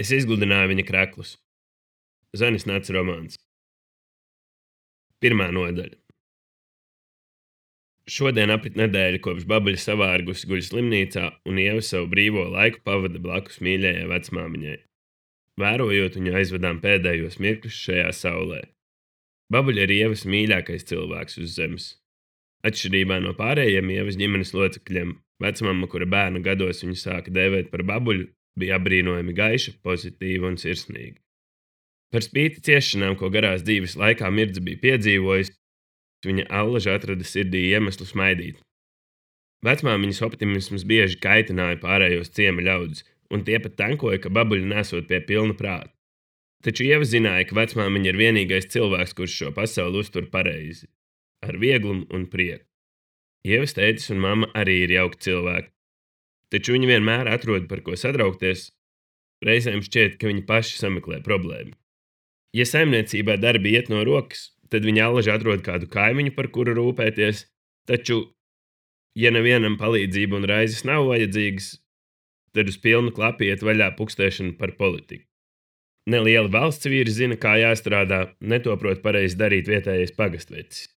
Es izgludināju viņa kraklus. Zanis Nats romāns. Pirmā nodaļa. Šodien aprit nedēļa, kopš Babuļa savārgusi guļ slimnīcā, un Ieva savu brīvo laiku pavada blakus mīļajai vecmāmiņai. Vērojot viņu aizvedām pēdējos mirkļus šajā saulē. Babuļa ir Ievas mīļākais cilvēks uz zemes. Atšķirībā no pārējiem Ievas ģimenes locekļiem, vecmamma, kura bērnu gados viņu sāka dēvēt par Babuļu, bija apbrīnojami gaiša, pozitīva un sirsnīga. Par spīti ciešanām, ko garās dzīves laikā Mirdza bija piedzīvojis, viņa allaža atrada sirdī iemeslu smaidīt. Vecmāmiņas optimisms bieži kaitināja pārējos ciema ļaudis, un tie pat tankoja, ka Babuļu nesot pie pilna prāta. Taču Ieva zināja, ka vecmāmiņa ir vienīgais cilvēks, kurš šo pasauli uztur pareizi, ar vieglumu un prieku. Ievas tētis un mamma arī ir jauki cilvēki, taču viņi vienmēr atrod par ko satraukties, reizēm šķiet, ka viņi paši sameklē problēmu. Ja saimniecībā darbi iet no rokas, tad viņi allaži atrod kādu kaimiņu, par kuru rūpēties, taču, ja nevienam palīdzība un raizes nav vajadzīgas, tad uz pilnu klapu iet vaļā pukstēšana par politiku. Nelieli valsts vīri zina, kā jāstrādā, netoprot pareizi darīt vietējais pagastvecis.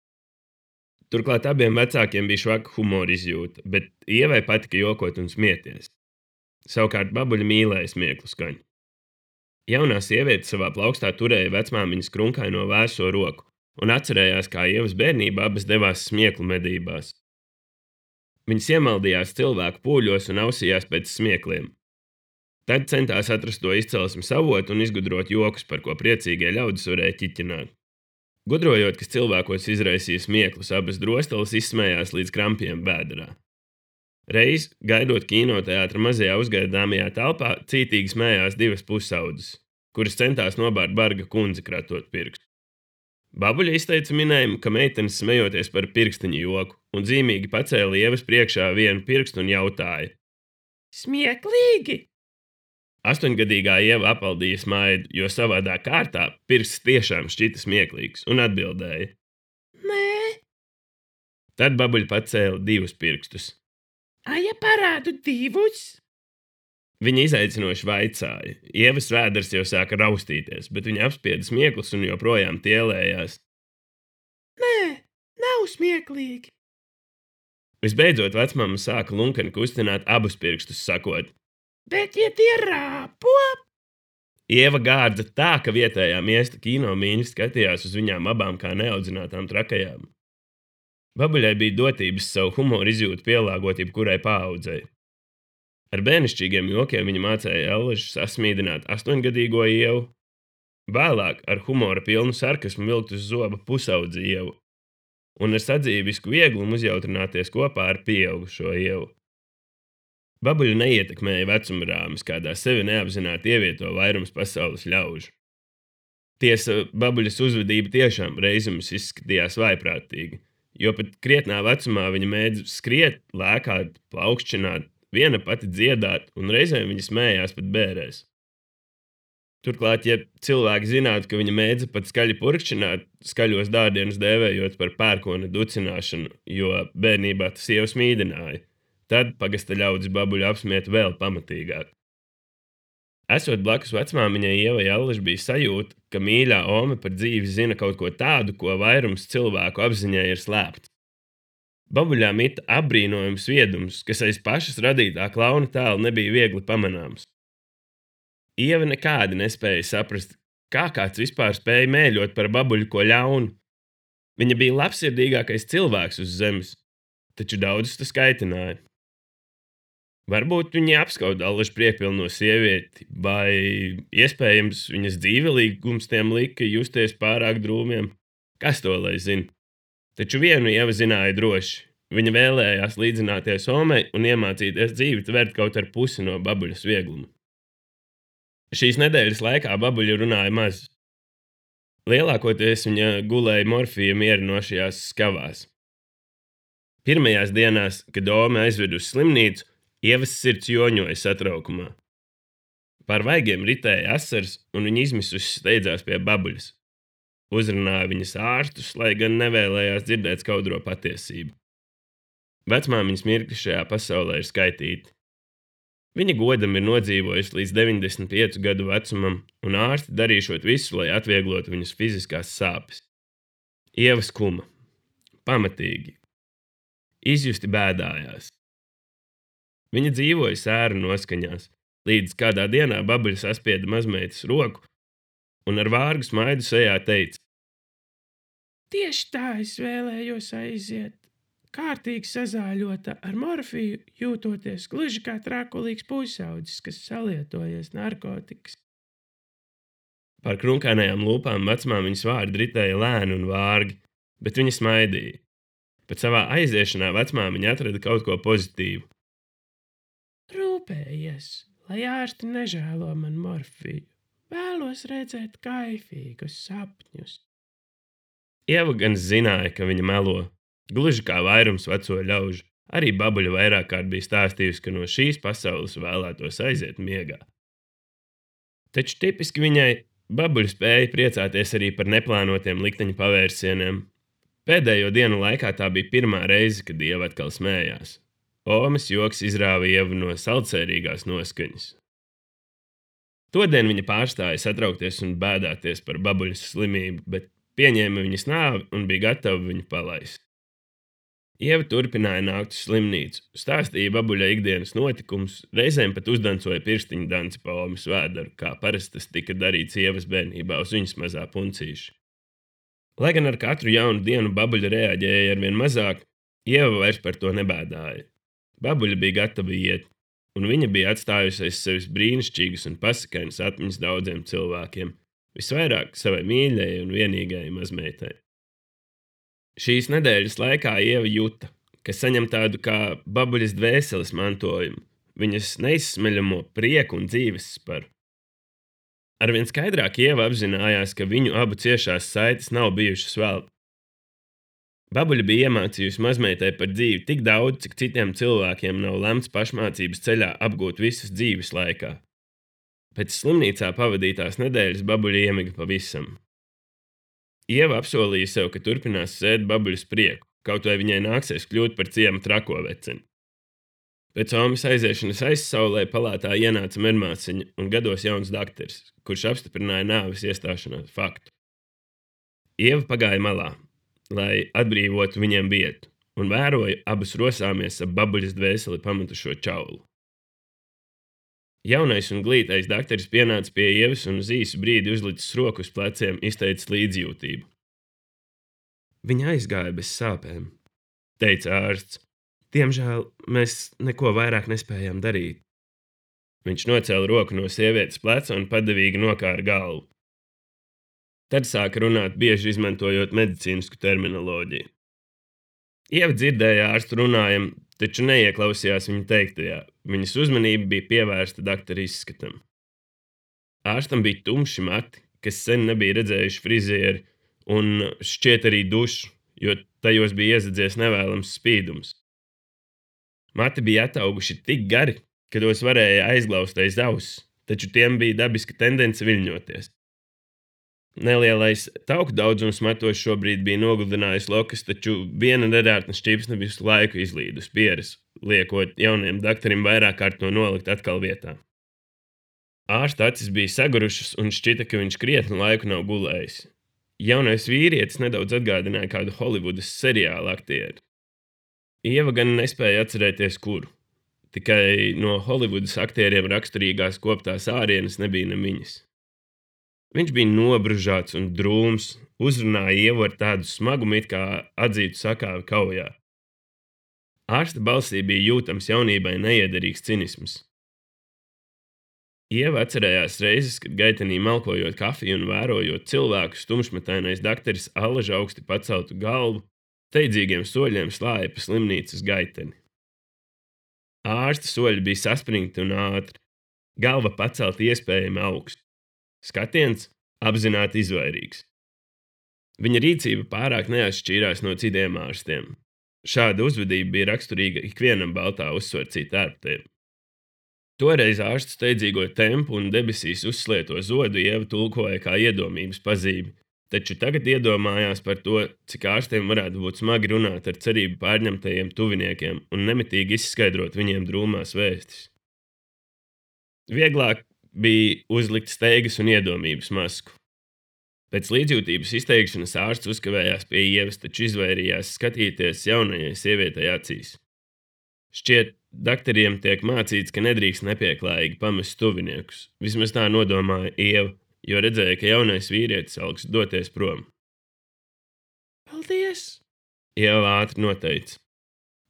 Turklāt abiem vecākiem bija švaka humora izjūta, bet Ievai patika jokot un smieties. Savukārt Babuļa mīlēja smieklu skaņu. Jaunā sieviete savā plaukstā turēja vecmāmiņas krunkaino vēso roku un atcerējās, kā Ievas bērnībā abas devās smieklu medībās. Viņas iemaldījās cilvēku pūļos un ausījās pēc smiekliem. Tad centās atrast to izcelsmes avotu un izgudrot jokus, par ko priecīgie ļaudis varēja ķiķināt. Gudrojot, kas cilvēkos izraisīja smieklus, abas drosteles izsmējās līdz krampiem bēdarā. Reiz, gaidot kinoteātra mazajā uzgaidāmajā telpā, cītīgi smējās divas pusaudzes, kuras centās nobārt barga kundzi kratot pirkstu. Babuļa izteica minējumu, ka meitenes smejoties par pirkstiņu joku, un zīmīgi pacēla Ievas priekšā vienu pirkstu un jautāja: Smieklīgi! 8-gadīgā Ieva apaldīja smaidu, jo savādā kārtā pirksts tiešām šķita smieklīgs, un atbildēja: Nē. Tad Babuļa pacēla divus pirkstus. Ja parādu divus? Viņa izaicinoši vaicāja. Ievas vēders jau sāka raustīties, bet viņa apspieda smieklus un joprojām tielējās. Nē, nav smieklīgi. Visbeidzot, vecmamma sāka lunkani kustināt abus pirkstus, sakot: Bet, ja tie rāpo? Ieva gārdza tā, ka vietējā miesta kinomīņi skatījās uz viņām abām kā neaudzinātām trakajām. Babuļai bija dotības savu humoru izjūtu pielāgot jebkurai paaudzei. Ar bērnišķīgiem jokiem viņa mācēja allaži sasmīdināt 8-gadīgo Ievu, vēlāk ar humora pilnu sarkasmu vilkt uz zoba pusaudzi Ievu un ar sadzīvisku vieglumu uzjautrināties kopā ar pieaugušo Ievu. Babuļu neietekmēja vecuma rāmis, kādā sevi neapzināti ievieto vairums pasaules ļaužu. Tiesa, Babuļas uzvedība tiešām reizēm izskatījās vaiprātīgi, jo pat krietnā vecumā viņa mēdz skriet, lēkāt, plaukšķināt, viena pati dziedāt, un reizēm viņa smējās pat bērēs. Turklāt, ja cilvēki zinātu, ka viņa mēdza pat skaļi purkšķināt, skaļos dārdienus dēvējot par pērkona ducināšanu, jo bērnībā tas Ievu smīdināja, tad pagasta ļaudis Babuļu apsmiet vēl pamatīgāk. Esot blakus vecmāmiņai Ievai allaži bija sajūta, ka mīļā ome par dzīvi zina kaut ko tādu, ko vairums cilvēku apziņai ir slēpts. Babuļā mita apbrīnojums viedums, kas aiz pašas radītā klauna tēla nebija viegli pamanāms. Ieva nekādi nespēja saprast, kā kāds vispār spēja mēļot par Babuļu ko ļaunu. Viņa bija labsirdīgākais cilvēks uz zemes, taču daudzus tas kaitināja. Varbūt viņa apskauda allaži priekpilno sievieti, vai iespējams viņas dzīvelīgums tiem lika justies pārāk drūmiem. Kas to lai zina? Taču vienu Ieva zināja droši. Viņa vēlējās līdzināties omei un iemācīties dzīvi tvert kaut ar pusi no Babuļas viegluma. Šīs nedēļas laikā Babuļa runāja maz. Lielākoties viņa gulēja morfija mierinošajās skavās. Pirmajās dienās, kad ome aizved uz slimnīcu, Ievas sirds joņoja satraukumā. Pār vaigiem ritēja asars, un viņa izmisusi steidzās pie Babuļas. Uzrunāja viņas ārstus, lai gan nevēlējās dzirdēt skaudro patiesību. Vecmāmiņas mirkļi šajā pasaulē ir skaitīti. Viņa godam ir nodzīvojusi līdz 95 gadu vecumam, un ārsti darīšot visu, lai atvieglotu viņas fiziskās sāpes. Ieva skuma. Pamatīgi. Izjusti bēdājās. Viņa dzīvoja sēru noskaņās, līdz kādā dienā Babuļa saspieda mazmeitas roku un ar vārgu smaidu sejā teica: Tieši tā es vēlējos aiziet. Kārtīgi sazāļota ar morfiju, jūtoties gluži kā trakulīgs pusaudzis, kas salietojies narkotikas. Par krunkainajām lūpām vecmāmiņas vārdi ritēja lēni un vārgi, bet viņa smaidīja. Pat savā aiziešanā vecmāmiņa atrada kaut ko pozitīvu. Rūpējies, lai ārsti nežēlo man morfiju. Vēlos redzēt kaifīgus sapņus. Ieva gan zināja, ka viņa melo, gluži kā vairums veco ļaužu. Arī Babuļa vairāk kārt bija stāstījusi, ka no šīs pasaules vēlētos aiziet miegā. Taču tipiski viņai Babuļa spēja priecāties arī par neplānotiem likteņa pavērsieniem. Pēdējo dienu laikā tā bija pirmā reize, kad Ieva atkal smējās. Omas joks izrāva Ievu no saldsērīgās noskaņas. Todien viņa pārstāja satraukties un bēdāties par Babuļas slimību, bet pieņēma viņas nāvi un bija gatava viņu palaist. Ieva turpināja nākt uz slimnīcu, stāstīja Babuļai ikdienas notikumus, reizēm pat uzdancoja pirkstiņu danci pa Omas vēderu, kā parasti tas tika darīts Ievas bērnībā uz viņas mazā puncīša. Lai gan ar katru jaunu dienu Babuļa reaģēja arvien mazāk, Ieva vairs par to nebēdāja. Babuļa bija gatava iet, un viņa bija atstājusi aiz sevis brīnišķīgas un pasakainas atmiņas daudziem cilvēkiem, visvairāk savai mīļajai un vienīgajai mazmeitai. Šīs nedēļas laikā Ieva juta, ka saņem tādu kā Babuļas dvēseles mantojumu, viņas neizsmeļamo prieku un dzīves sparu. Arvien skaidrāk Ieva apzinājās, ka viņu abu ciešās saites nav bijušas velti. Babuļa bija iemācījusi mazmeitai par dzīvi tik daudz, cik citiem cilvēkiem nav lemts pašmācības ceļā apgūt visas dzīves laikā. Pēc slimnīcā pavadītās nedēļas Babuļa iemiga pavisam. Ieva apsolīja sev, ka turpinās sēt Babuļas prieku, kaut vai viņai nāksies kļūt par ciema trako veceni. Pēc Omas aiziešanas aizsaulē palātā ienāca medmāsiņa un gados jauns dakteris, kurš apstiprināja nāves iestāšanās faktu. Ieva pagāja malā, lai atbrīvotu viņiem vietu, un vēroja abas rosāmies ap Babuļas dvēseli pametušo čaulu. Jaunais un glītais dakteris pienāca pie Ievas un uz īsu brīdi uzlicis roku uz pleciem, izteicis līdzjūtību. Viņa aizgāja bez sāpēm, teica ārsts. Diemžēl mēs neko vairāk nespējām darīt. Viņš nocēla roku no sievietes pleca un padevīgi nokāra galvu. Tad sāka runāt, bieži izmantojot medicīnisku terminoloģiju. Ieva dzirdēja ārstu runājumu, taču neieklausījās viņa teiktajā. Viņas uzmanība bija pievērsta daktera izskatam. Ārstam bija tumši mati, kas sen nebija redzējuši frizieri, un šķiet arī dušu, jo tajos bija iezadzies nevēlams spīdums. Mati bija atauguši tik gari, ka tos varēja aizglauzt aiz auss, taču tiem bija dabiska tendence viļņoties. Nelielais tauku daudzums matos šobrīd bija nogludinājis lokas, taču viena nedārtna šķipsne visu laiku izlīd uz pieres, liekot jauniem dakterim vairāk kārt to nolikt atkal vietā. Ārsta acis bija sagurušas un šķita, ka viņš krietnu laiku nav gulējis. Jaunais vīrietis nedaudz atgādināja kādu Holivudas seriālu aktieri. Ieva gan nespēja atcerēties, kuru. Tikai no Holivudas aktieriem raksturīgās koptās ārienes nebija nemiņas. Viņš bija nobružāts un drūms, uzrunāja Ievu ar tādu smagumu, it kā atzītu sakāvi kaujā. Ārsta balsī bija jūtams jaunībai neiederīgs cinisms. Ieva atcerējās reizes, kad gaitenī malkojot kafiju un vērojot cilvēku, tumšmetainais dakteris allaž augsti paceltu galvu, steidzīgiem soļiem slāja pa slimnīcas gaiteni. Ārsta soļi bija saspringti un ātri, galva pacelta iespējami augstu. Skatiens apzināti izvairīgs. Viņa rīcība pārāk neatšķīrās no citiem ārstiem. Šāda uzvedība bija raksturīga ikvienam baltā uzsvarcīt ārptiem. Toreiz ārsts steidzīgo tempu un debesīs uzslieto zodu Ieva tulkoja kā iedomības pazīmi, taču tagad iedomājās par to, cik ārstiem varētu būt smagi runāt ar cerību pārņemtajiem tuviniekiem un nemitīgi izskaidrot viņiem drūmās vēstis. Vieglāk bija uzlikt steigas un iedomības masku. Pēc līdzjūtības izteikšanas ārsts uzkavējās pie Ievas, taču izvairījās skatīties jaunajai sievietei acīs. Šķiet, daktariem tiek mācīts, ka nedrīkst nepieklājīgi pamest tuviniekus. Vismaz tā nodomāja Ieva, jo redzēja, ka jaunais vīrietis augsts doties prom. Paldies! Ieva ātri noteica.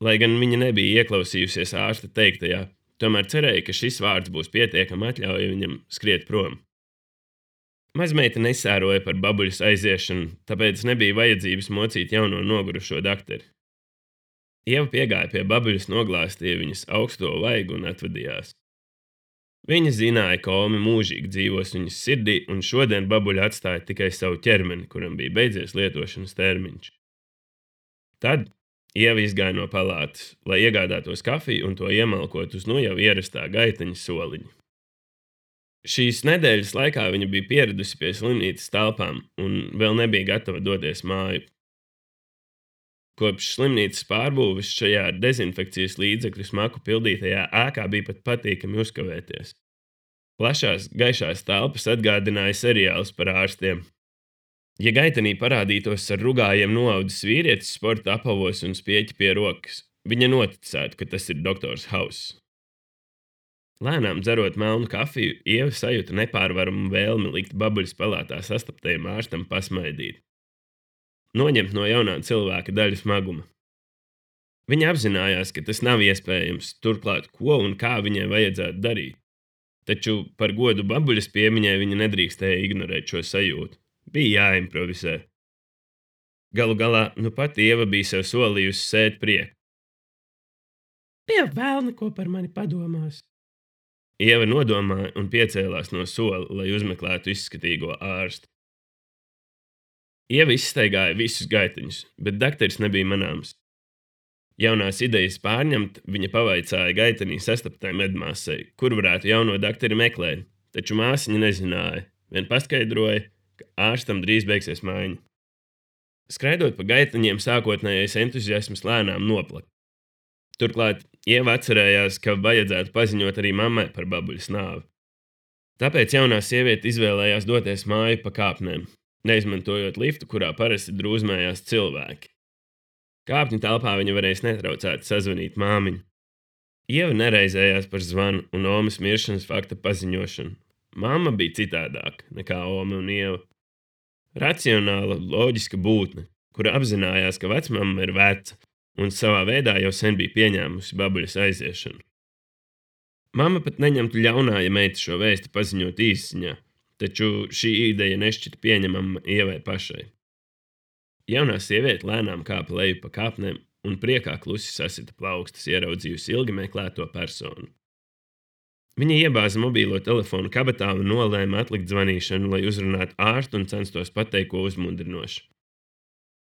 Lai gan viņa nebija ieklausījusies ārsta teiktajā, tomēr cerēja, ka šis vārds būs pietiekami atļauja viņam skriet prom. Mazmeita nesēroja par babuļas aiziešanu, tāpēc nebija vajadzības mocīt jauno nogurušo dakteri. Ieva piegāja pie babuļas, noglāstīja viņas augsto vaigu un atvadījās. Viņa zināja, ka Omi mūžīgi dzīvos viņas sirdī, un šodien babuļa atstāja tikai savu ķermeni, kuram bija beidzies lietošanas termiņš. Tad Ieva izgāja no palātas, lai iegādātos kafiju un to iemalkot uz nu jau ierastā gaiteņa soliņa. Šīs nedēļas laikā viņa bija pieradusi pie slimnīcas telpām un vēl nebija gatava doties māju. Kopš slimnīcas pārbūves šajā ar dezinfekcijas līdzekļu smaku pildītajā ēkā bija pat patīkami uzkavēties. Plašās, gaišās telpas atgādināja seriālus par ārstiem. Ja gaitenī parādītos ar rugājiem noaudzis vīrietis sporta apavos un spieķi pie rokas, viņa noticētu, ka tas ir doktors Hauss. Lēnām dzerot melnu kafiju, Ieva sajūta nepārvaramu vēlmi likt babuļas palātā sastaptajam ārstam pasmaidīt. Noņemt no jaunā cilvēka daļu smaguma. Viņa apzinājās, ka tas nav iespējams, turklāt ko un kā viņai vajadzētu darīt. Taču par godu babuļas piemiņai viņa nedrīkstēja ignorēt šo sajūtu. Bija jāimprovizē. Galu galā, nu pat Ieva bija sev solījusi sēt prieku. Pie velna, ko par mani padomās. Ieva nodomāja un piecēlās no sola, lai uzmeklētu izskatīgo ārstu. Ieva izstaigāja visus gaiteņus, bet dakteris nebija manāms. Jaunās idejas pārņemt, viņa pavaicāja gaitenī sastaptai medmāsai, kur varētu jauno dakteri meklēt, taču māsiņa nezināja, vien paskaidroja, ka ārstam drīz beigsies maiņa. Skraidot pa gaiteņiem, sākotnējais entuziasms lēnām noplaka. Turklāt Ieva atcerējās, ka vajadzētu paziņot arī mammai par babuļas nāvi. Tāpēc jaunā sieviete izvēlējās doties māju pa kāpnēm, neizmantojot liftu, kurā parasti drūzmējās cilvēki. Kāpņu telpā viņa varēs netraucēti sazvanīt māmiņu. Ieva nereizējās par zvanu un Omas miršanas fakta paziņošanu. Mamma bija citādāka nekā Oma un Ieva. Racionāla, loģiska būtne, kura apzinājās, ka vecmamma ir veca, un savā veidā jau sen bija pieņēmusi babuļas aiziešanu. Mamma pat neņemtu ļaunā, ja meita šo vēsti paziņot īsziņā, taču šī ideja nešķita pieņemama Ievai pašai. Jaunā sieviete lēnām kāpa leju pa kāpnēm un priekā klusi sasita plaukstas, ieraudzījusi ilgi meklēto personu. Viņa iebāza mobīlo telefonu kabatā un nolēma atlikt zvanīšanu, lai uzrunātu ārstu un censtos pateikt ko uzmundrinošu.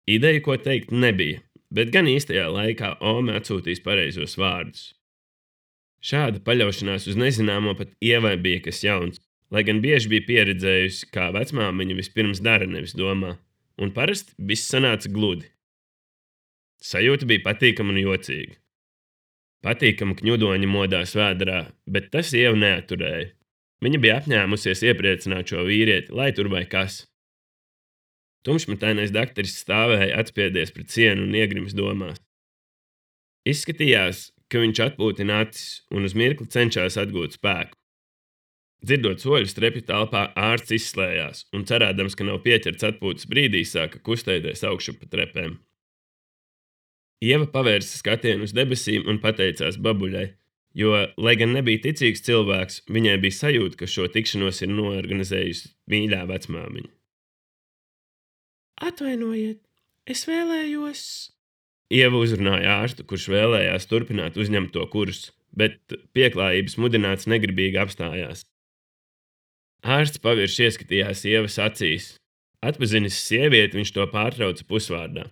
Ideja, ko teikt, nebija, bet gan īstajā laikā Ome atsūtīs pareizos vārdus. Šāda paļaušanās uz nezināmo pat Ievai bija kas jauns, lai gan bieži bija pieredzējusi, kā vecmāmiņa vispirms dara, nevis domā, un parasti viss sanāca gludi. Sajūta bija patīkama un jocīga. Patīkama kņudoņa modā svētdarā, bet tas Ievu neaturēja. Viņa bija apņēmusies iepriecināt šo vīrieti, lai tur vai kas. Tumšmetainais dakteris stāvēja atspiedies pret sienu un iegrims domās. Izskatījās, ka viņš atpūtina acis un uz mirkli cenšas atgūt spēku. Dzirdot soļus trepju telpā, ārsts izslējās un cerēdams, ka nav pieķerts atpūtas brīdī, sāka kustēties augšu pa trepēm. Ieva pavērsa skatienu uz debesīm un pateicās babuļai, jo, lai gan nebija ticīgs cilvēks, viņai bija sajūta, ka šo tikšanos ir noorganizējusi mīļā vecmāmiņa. Atvainojiet, es vēlējos... Ieva uzrunāja ārstu, kurš vēlējās turpināt uzņemto kursu, bet pieklājības mudināts negribīgi apstājās. Ārsts pavirši ieskatījās Ievas acīs. Atpazinis sievieti, viņš to pārtrauca pusvārdā.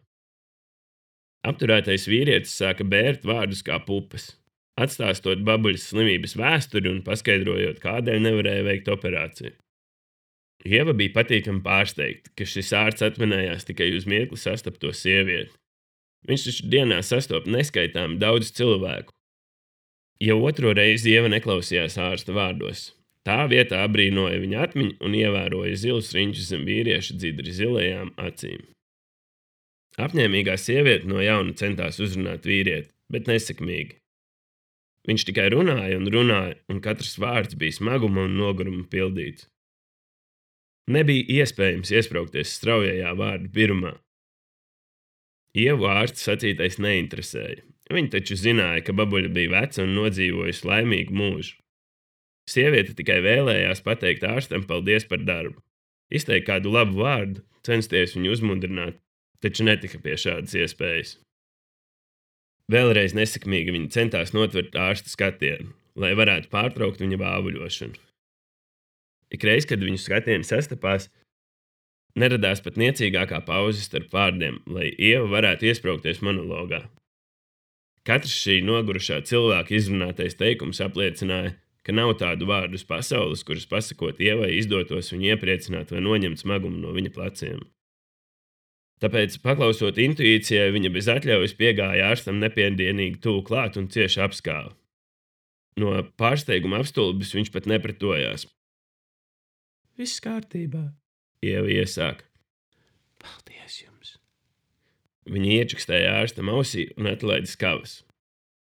Apturētais vīrietis sāka bērt vārdus kā pupas, atstāstot babuļas slimības vēsturi un paskaidrojot, kādēļ nevarēja veikt operāciju. Ieva bija patīkami pārsteigta, ka šis ārsts atminējās tikai uz mirkli sastapto sievieti. Viņš taču dienā sastopa neskaitāmi daudz cilvēku. Jau otro reizi Ieva neklausījās ārsta vārdos. Tā vietā abrīnoja viņa atmiņu un ievēroja zilus riņķus zem vīrieša dzidri zilajām acīm. Apņēmīgā sieviete no jauna centās uzrunāt vīrieti, bet nesekmīgi. Viņš tikai runāja, un katrs vārds bija smaguma un noguruma pildīts. Nebija iespējams iesprāgties straujajā vārdu pirmā. Ievu ārsta sacītais neinteresēja. Viņa taču zināja, ka babuļa bija veca un nodzīvojusi laimīgu mūžu. Sieviete tikai vēlējās pateikt ārstam paldies par darbu. Izteikt kādu labu vārdu, censties viņu uzmundrināt, taču netika pie šādas iespējas. Vēlreiz nesekmīgi viņa centās notvert ārsta skatienu, lai varētu pārtraukt viņa vāvuļošanu. Ikreiz, kad viņu skatieni sastapās, neradās pat niecīgākā pauze starp vārdiem, lai Ieva varētu iesprāgties monologā. Katrs šī nogurušā cilvēka izrunātais teikums apliecināja, ka nav tādu vārdu uz pasaules, kurus pasakot Ievai izdotos viņu iepriecināt vai noņemt smagumu no viņa pleciem. Tāpēc, paklausot intuīcijai, viņa bez atļaujas piegāja ārstam nepiedienīgi tuvu klāt un cieši apskāva. No pārsteiguma apstulbis viņš pat nepretojās. Viss kārtībā, Ieva iesāka. Paldies jums! Viņa iečukstēja ārstam ausī un atlaida skavas.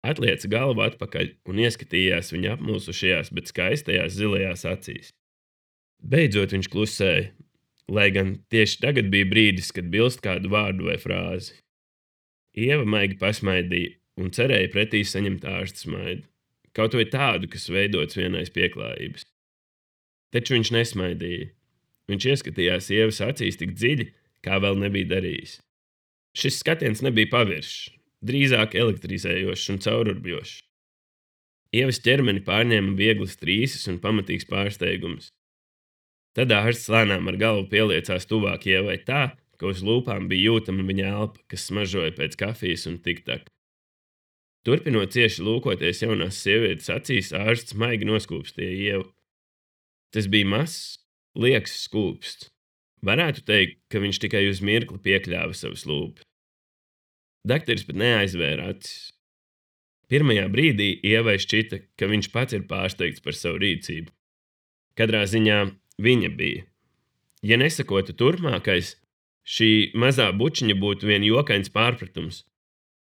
Atlieca galvu atpakaļ un ieskatījās viņa apmulsušajās, bet skaistajās zilajās acīs. Beidzot viņš klusēja, lai gan tieši tagad bija brīdis, kad bilst kādu vārdu vai frāzi. Ieva maigi pasmaidīja un cerēja pretī saņemt ārsta smaidu, kaut vai tādu, kas veidots vienais pieklājības. Taču viņš nesmaidīja. Viņš ieskatījās Ievas acīs tik dziļi, kā vēl nebija darījis. Šis skatiens nebija paviršs, drīzāk elektrizējošs un caururbjošs. Ievas ķermeni pārņēma vieglas trīses un pamatīgs pārsteigums. Tad ārsts lēnām ar galvu pieliecās tuvāk Ievai tā, ka uz lūpām bija jūtama viņa elpa, kas smaržoja pēc kafijas un tiktak. Turpinot cieši lūkoties jaunās sievietes acīs, ārsts maigi noskūpstīja Ievu. Tas bija mazs, lieks skūpsts. Varētu teikt, ka viņš tikai uz mirkli piekļāva savas lūpas. Dakteris pat neaizvēra acis. Pirmajā brīdī Ievai šķita, ka viņš pats ir pārsteigts par savu rīcību. Katrā ziņā viņa bija. Ja nesakotu turpmākais, šī mazā bučiņa būtu vien jokains pārpratums.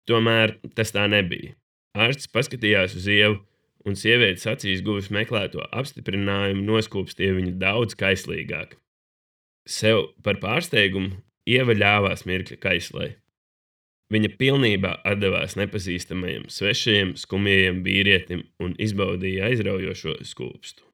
Tomēr tas tā nebija. Ārsts paskatījās uz Ievu, un sievietes acīs guvis meklēto apstiprinājumu noskūpstīja viņu daudz kaislīgāk. Sev par pārsteigumu Ieva ļāvās mirkļa kaislai. Viņa pilnībā atdevās nepazīstamajam, svešajam, skumjajam vīrietim un izbaudīja aizraujošo skūpstu.